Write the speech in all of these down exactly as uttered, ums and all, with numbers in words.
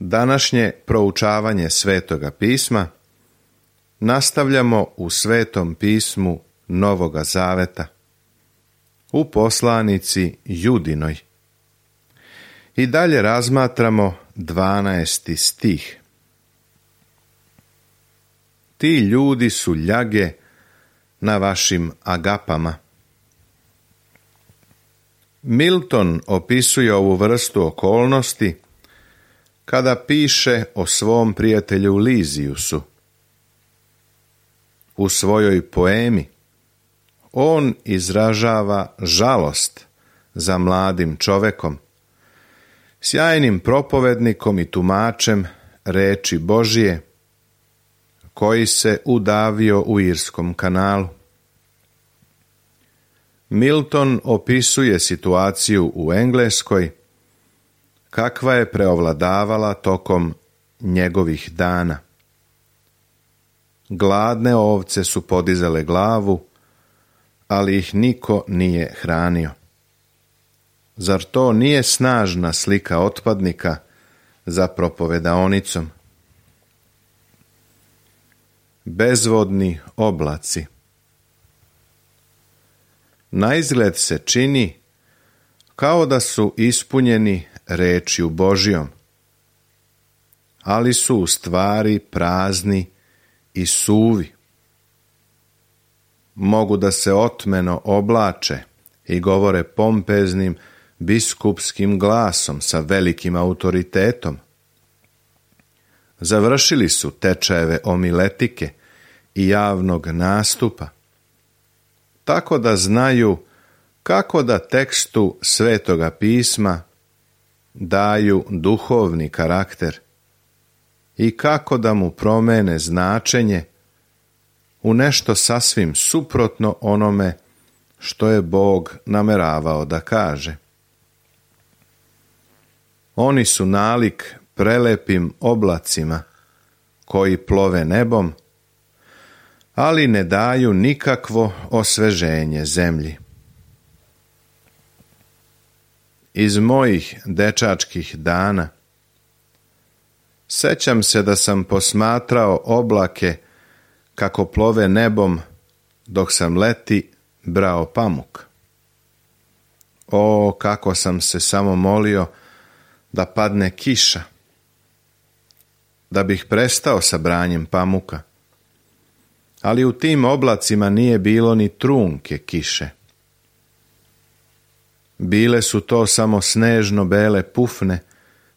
Današnje proučavanje Svetoga pisma nastavljamo u Svetom pismu Novoga Zaveta, u poslanici Judinoj. I dalje razmatramo dvanaesti stih. Ti ljudi su ljage na vašim agapama. Milton opisuje ovu vrstu okolnosti kada piše o svom prijatelju Liziusu. U svojoj poemi on izražava žalost za mladim čovekom, sjajnim propovednikom i tumačem reči Božije, koji se udavio u Irskom kanalu. Milton opisuje situaciju u Engleskoj, kakva je preovladavala tokom njegovih dana. Gladne ovce su podizale glavu, ali ih niko nije hranio. Zar to nije snažna slika otpadnika za propovedaonicom? Bezvodni oblaci. Naizgled se čini kao da su ispunjeni rečju Božjom, ali su u stvari prazni i suvi. Mogu da se otmeno oblače i govore pompeznim biskupskim glasom sa velikim autoritetom. Završili su tečajeve homiletike i javnog nastupa, tako da znaju kako da tekstu Svetoga pisma daju duhovni karakter i kako da mu promene značenje u nešto sasvim suprotno onome što je Bog nameravao da kaže. Oni su nalik prelepim oblacima koji plove nebom, ali ne daju nikakvo osveženje zemlji. Iz mojih dečačkih dana sećam se da sam posmatrao oblake kako plove nebom dok sam leti brao pamuk. O, kako sam se samo molio da padne kiša, da bih prestao sa branjem pamuka. Ali u tim oblacima nije bilo ni trunke kiše. Bile su to samo snežno bele pufne,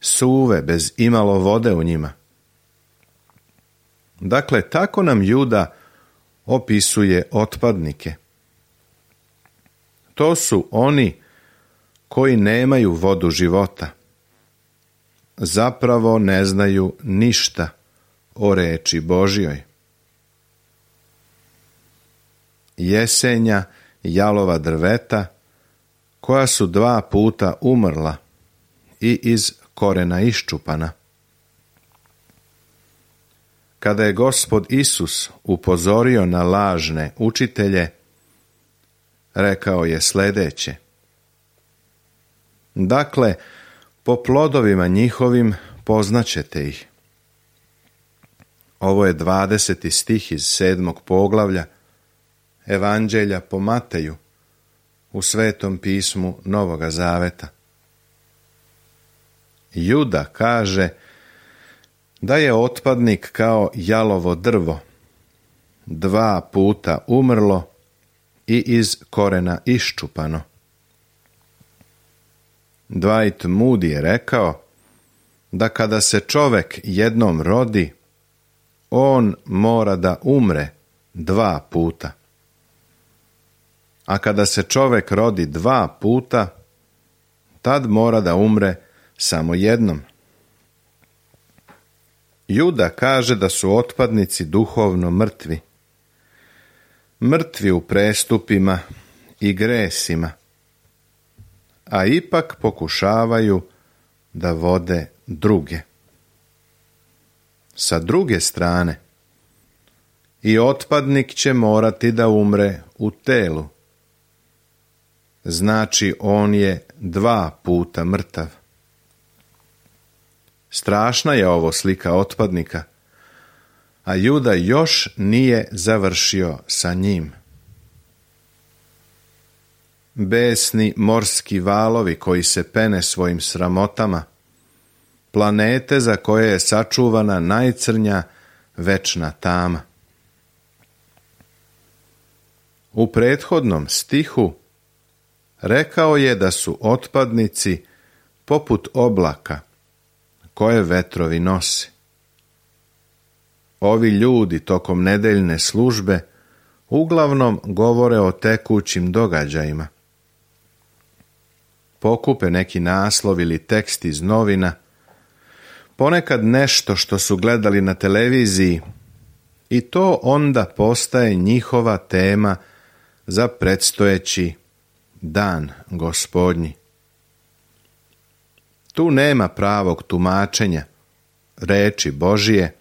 suve, bez imalo vode u njima. Dakle, tako nam Juda opisuje otpadnike. To su oni koji nemaju vodu života. Zapravo ne znaju ništa o reči Božjoj. Jesenja jalova drveta koja su dva puta umrla i iz korena iščupana. Kada je Gospod Isus upozorio na lažne učitelje, rekao je sljedeće: dakle, po plodovima njihovim poznaćete ih. Ovo je dvadeseti stih iz sedmog poglavlja Evanđelja po Mateju u Svetom pismu Novoga Zaveta. Juda kaže da je otpadnik kao jalovo drvo, dva puta umrlo i iz korena iščupano. Dwight Moody je rekao da kada se čovek jednom rodi, on mora da umre dva puta. A kada se čovek rodi dva puta, tad mora da umre samo jednom. Juda kaže da su otpadnici duhovno mrtvi. Mrtvi u prestupima i gresima, a ipak pokušavaju da vode druge. Sa druge strane, i otpadnik će morati da umre u telu. Znači, on je dva puta mrtav. Strašna je ovo slika otpadnika, a Juda još nije završio sa njim. Besni morski valovi koji se pene svojim sramotama, planete za koje je sačuvana najcrnja večna tama. U prethodnom stihu rekao je da su otpadnici poput oblaka koje vetrovi nose. Ovi ljudi tokom nedeljne službe uglavnom govore o tekućim događajima. Pokupe neki naslov ili tekst iz novina, ponekad nešto što su gledali na televiziji, i to onda postaje njihova tema za predstojeći dan Gospodnji. Tu nema pravog tumačenja reči Božije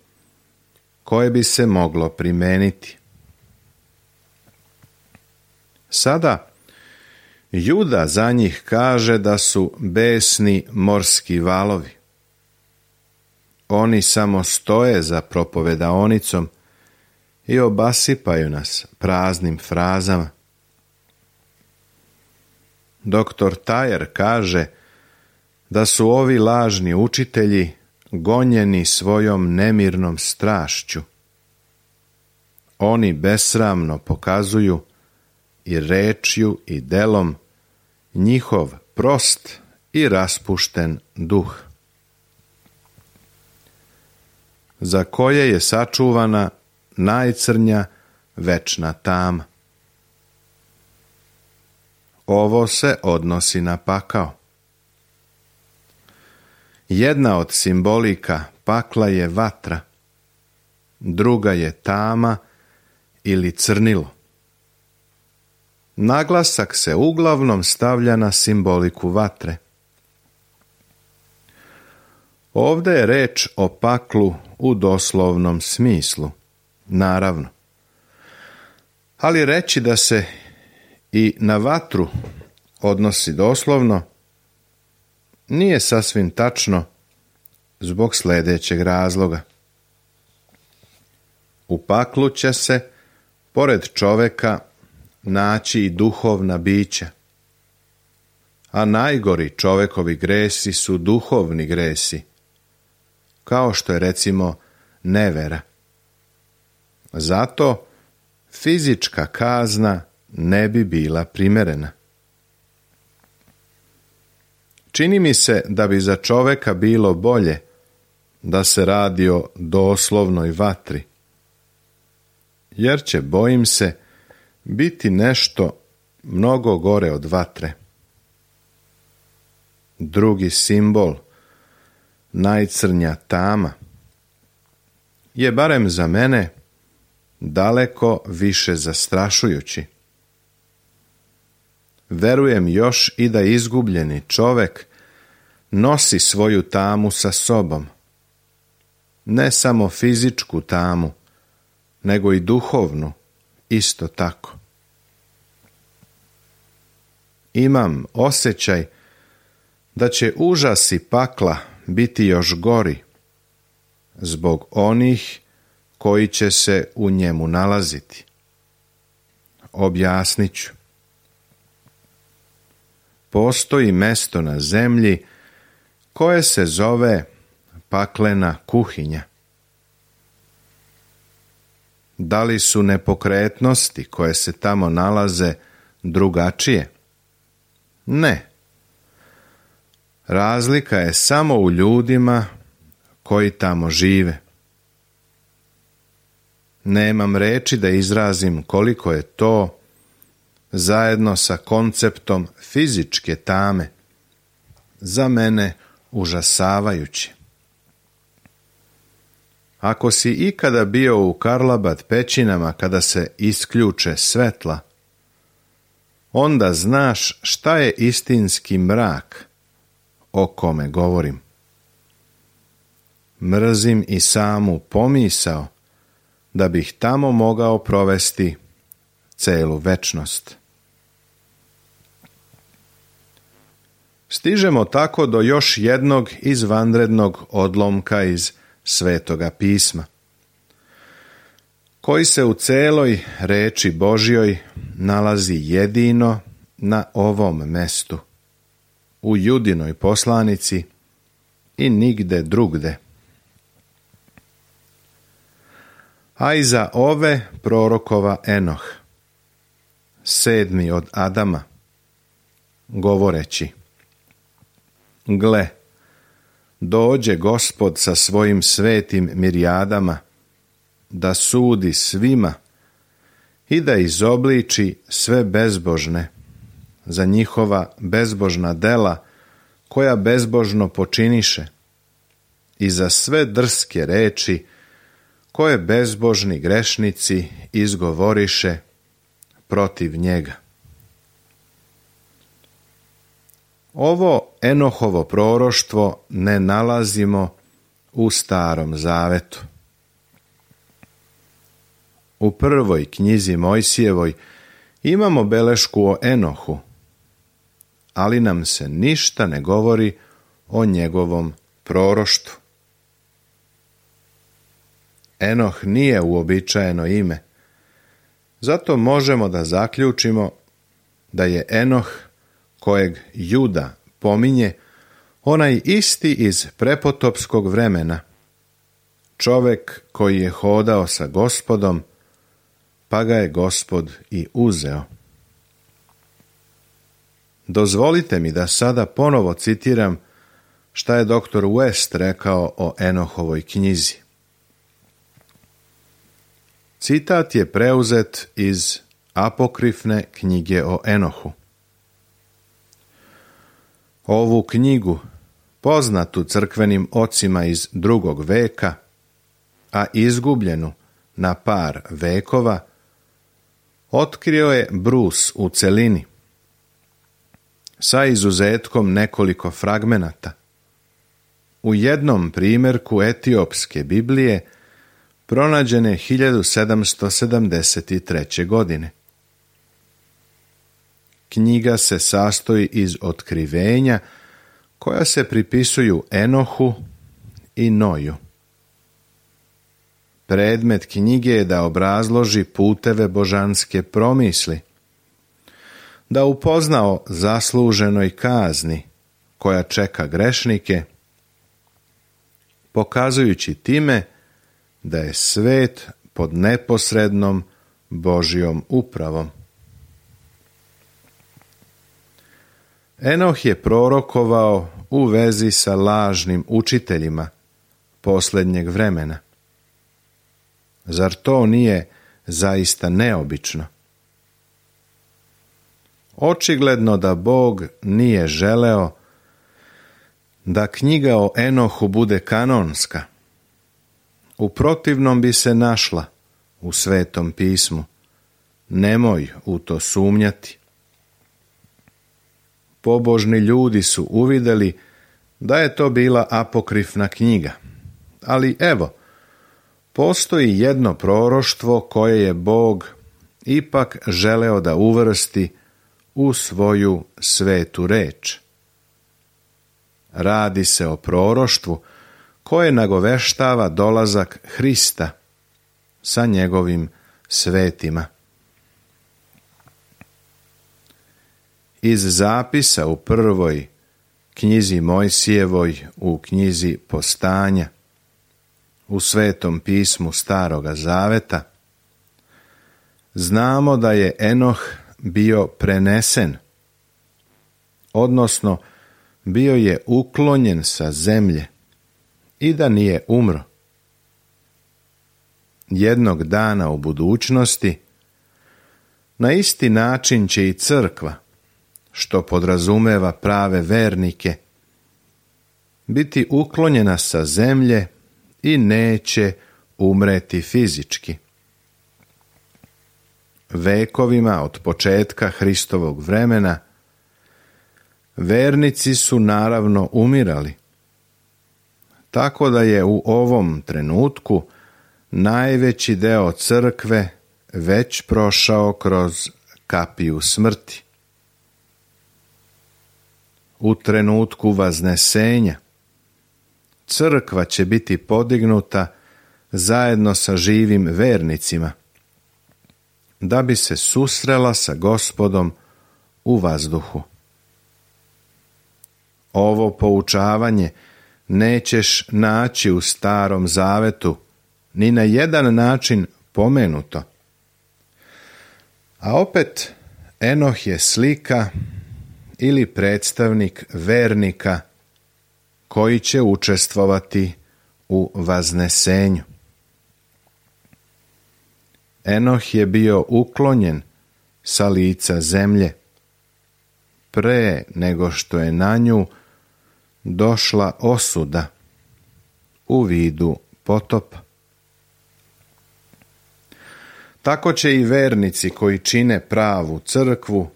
koje bi se moglo primeniti. Sada Juda za njih kaže da su besni morski valovi. Oni samo stoje za propovedaonicom i obasipaju nas praznim frazama. Doktor Tajer kaže da su ovi lažni učitelji gonjeni svojom nemirnom strašću. Oni besramno pokazuju i rečju i delom njihov prost i raspušten duh, za koje je sačuvana najcrnja večna tama. Ovo se odnosi na pakao. Jedna od simbolika pakla je vatra, druga je tama ili crnilo. Naglasak se uglavnom stavlja na simboliku vatre. Ovdje je reč o paklu u doslovnom smislu, naravno. Ali reći da se i na vatru odnosi doslovno nije sasvim tačno zbog sljedećeg razloga. U paklu će se, pored čoveka, naći i duhovna bića, a najgori čovekovi gresi su duhovni gresi, kao što je recimo nevera. Zato fizička kazna ne bi bila primerena. Čini mi se da bi za čoveka bilo bolje da se radi o doslovnoj vatri, jer će, bojim se, biti nešto mnogo gore od vatre. Drugi simbol, najcrnja tama, je barem za mene daleko više zastrašujući. Verujem još i da izgubljeni čovek nosi svoju tamu sa sobom. Ne samo fizičku tamu, nego i duhovnu, isto tako. Imam osjećaj da će užasi pakla biti još gori zbog onih koji će se u njemu nalaziti. Objasnit ću. Postoji mesto na zemlji koje se zove paklena kuhinja. Da li su nepokretnosti koje se tamo nalaze drugačije? Ne. Razlika je samo u ljudima koji tamo žive. Nemam reči da izrazim koliko je to, zajedno sa konceptom fizičke tame, za mene užasavajuće. Ako si ikada bio u Karlobag pećinama kada se isključe svetla, onda znaš šta je istinski mrak o kome govorim. Mrzim i samu pomisao da bih tamo mogao provesti celu večnost. Stižemo tako do još jednog izvanrednog odlomka iz Svetoga pisma, koji se u celoj reči Božjoj nalazi jedino na ovom mestu, u Judinoj poslanici i nigde drugde. A iza ove prorokova Enoh, sedmi od Adama, govoreći: Gle, dođe Gospod sa svojim svetim mirijadama, da sudi svima i da izobliči sve bezbožne za njihova bezbožna dela koja bezbožno počiniše i za sve drske reči koje bezbožni grešnici izgovoriše protiv njega. Ovo Enohovo proroštvo ne nalazimo u Starom Zavetu. U prvoj knjizi Mojsijevoj imamo belešku o Enohu, ali nam se ništa ne govori o njegovom proroštvu. Enoh nije uobičajeno ime, zato možemo da zaključimo da je Enoh, kojeg Juda pominje, onaj isti iz prepotopskog vremena, čovek koji je hodao sa Gospodom, pa ga je Gospod i uzeo. Dozvolite mi da sada ponovo citiram šta je doktor West rekao o Enohovoj knjizi. Citat je preuzet iz apokrifne knjige o Enohu. Ovu knjigu, poznatu crkvenim ocima iz drugog veka, a izgubljenu na par vekova, otkrio je Bruce u celini, sa izuzetkom nekoliko fragmenata. U jednom primjerku etiopske Biblije pronađene hiljadu sedamsto sedamdeset treće. godine. Knjiga se sastoji iz otkrivenja koja se pripisuju Enohu i Noju. Predmet knjige je da obrazloži puteve božanske promisli, da upozna o zasluženoj kazni koja čeka grešnike, pokazujući time da je svet pod neposrednom Božjom upravom. Enoh je prorokovao u vezi sa lažnim učiteljima posljednjeg vremena. Zar to nije zaista neobično? Očigledno da Bog nije želeo da knjiga o Enohu bude kanonska. U protivnom bi se našla u Svetom pismu. Nemoj u to sumnjati. Pobožni ljudi su uvidjeli da je to bila apokrifna knjiga. Ali evo, postoji jedno proroštvo koje je Bog ipak želeo da uvrsti u svoju svetu reč. Radi se o proroštvu koje nagoveštava dolazak Hrista sa njegovim svetima. Iz zapisa u prvoj knjizi Mojsijevoj, u knjizi Postanja, u Svetom pismu Staroga Zaveta, znamo da je Enoh bio prenesen, odnosno bio je uklonjen sa zemlje i da nije umro. Jednog dana u budućnosti, na isti način će i crkva, što podrazumeva prave vernike, biti uklonjena sa zemlje i neće umreti fizički. Vekovima od početka Hristovog vremena vernici su naravno umirali, tako da je u ovom trenutku najveći deo crkve već prošao kroz kapiju smrti. u trenutku vaznesenja crkva će biti podignuta zajedno sa živim vernicima, da bi se susrela sa Gospodom u vazduhu. Ovo poučavanje nećeš naći u Starom Zavetu ni na jedan način pomenuto. A opet, Enoh je slika ili predstavnik vernika koji će učestvovati u vaznesenju. Enoh je bio uklonjen sa lica zemlje pre nego što je na nju došla osuda u vidu potopa. Tako će i vernici koji čine pravu crkvu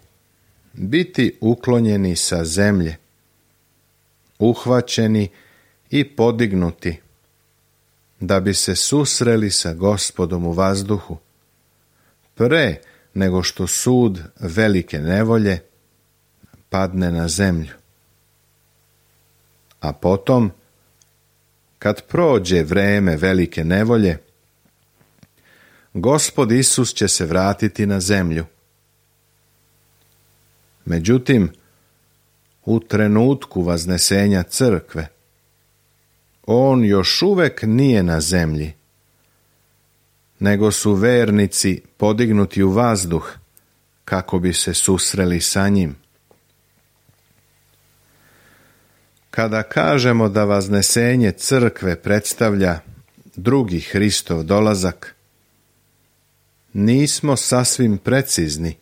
biti uklonjeni sa zemlje, uhvaćeni i podignuti, da bi se susreli sa Gospodom u vazduhu, pre nego što sud velike nevolje padne na zemlju. A potom, kad prođe vreme velike nevolje, Gospod Isus će se vratiti na zemlju. Međutim, u trenutku vaznesenja crkve, on još uvek nije na zemlji, nego su vernici podignuti u vazduh kako bi se susreli sa njim. Kada kažemo da vaznesenje crkve predstavlja drugi Hristov dolazak, nismo sasvim precizni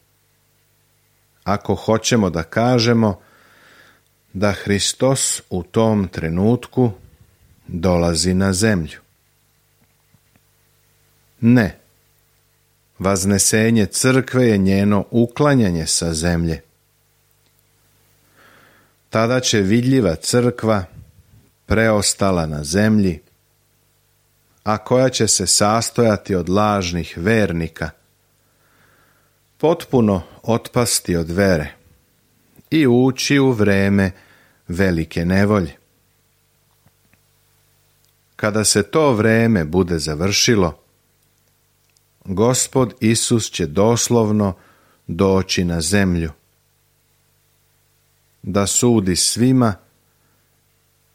ako hoćemo da kažemo da Hristos u tom trenutku dolazi na zemlju. Ne, vaznesenje crkve je njeno uklanjanje sa zemlje. Tada će vidljiva crkva, preostala na zemlji, a koja će se sastojati od lažnih vernika, potpuno otpasti od vere i ući u vreme velike nevolje. Kada se to vreme bude završilo, Gospod Isus će doslovno doći na zemlju, da sudi svima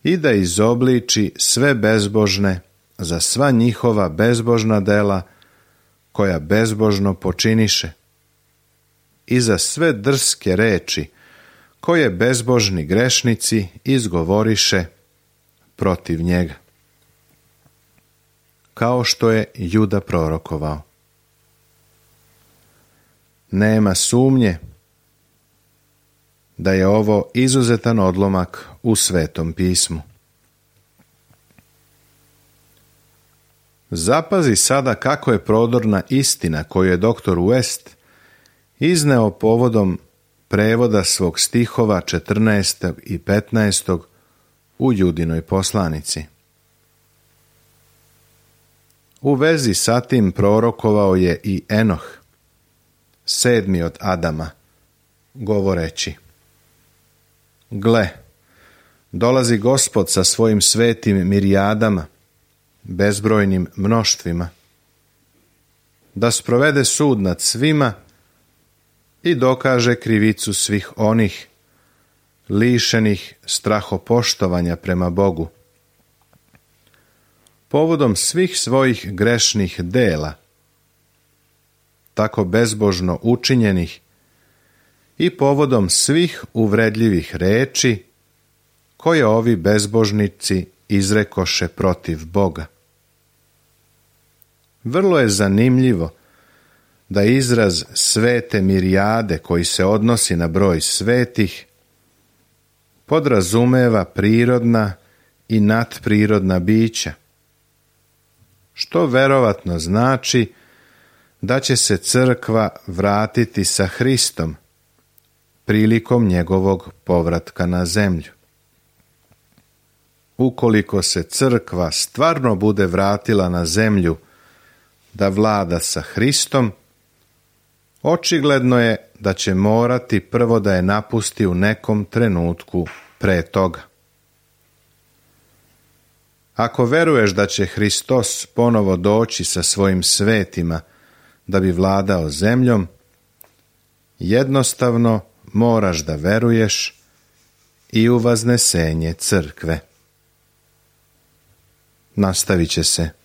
i da izobliči sve bezbožne za sva njihova bezbožna dela koja bezbožno počiniše i za sve drske reči koje bezbožni grešnici izgovoriše protiv njega. Kao što je Juda prorokovao. Nema sumnje da je ovo izuzetan odlomak u Svetom pismu. Zapazi sada kako je prodorna istina koju je doktor West izneo povodom prevoda svog stihova četrnaestog i petnaestog u Judinoj poslanici. U vezi sa tim prorokovao je i Enoh, sedmi od Adama, govoreći: Gle, dolazi Gospod sa svojim svetim mirijadama, bezbrojnim mnoštvima, da sprovede sud nad svima i dokaže krivicu svih onih lišenih strahopoštovanja prema Bogu, povodom svih svojih grešnih dela, tako bezbožno učinjenih, i povodom svih uvredljivih reči koje ovi bezbožnici izrekoše protiv Boga. Vrlo je zanimljivo da izraz svete mirijade, koji se odnosi na broj svetih, podrazumeva prirodna i nadprirodna bića, što verovatno znači da će se crkva vratiti sa Hristom prilikom njegovog povratka na zemlju. Ukoliko se crkva stvarno bude vratila na zemlju da vlada sa Hristom, očigledno je da će morati prvo da je napusti u nekom trenutku pre toga. Ako veruješ da će Hristos ponovo doći sa svojim svetima da bi vladao zemljom, jednostavno moraš da veruješ i u vaznesenje crkve. Nastavit će se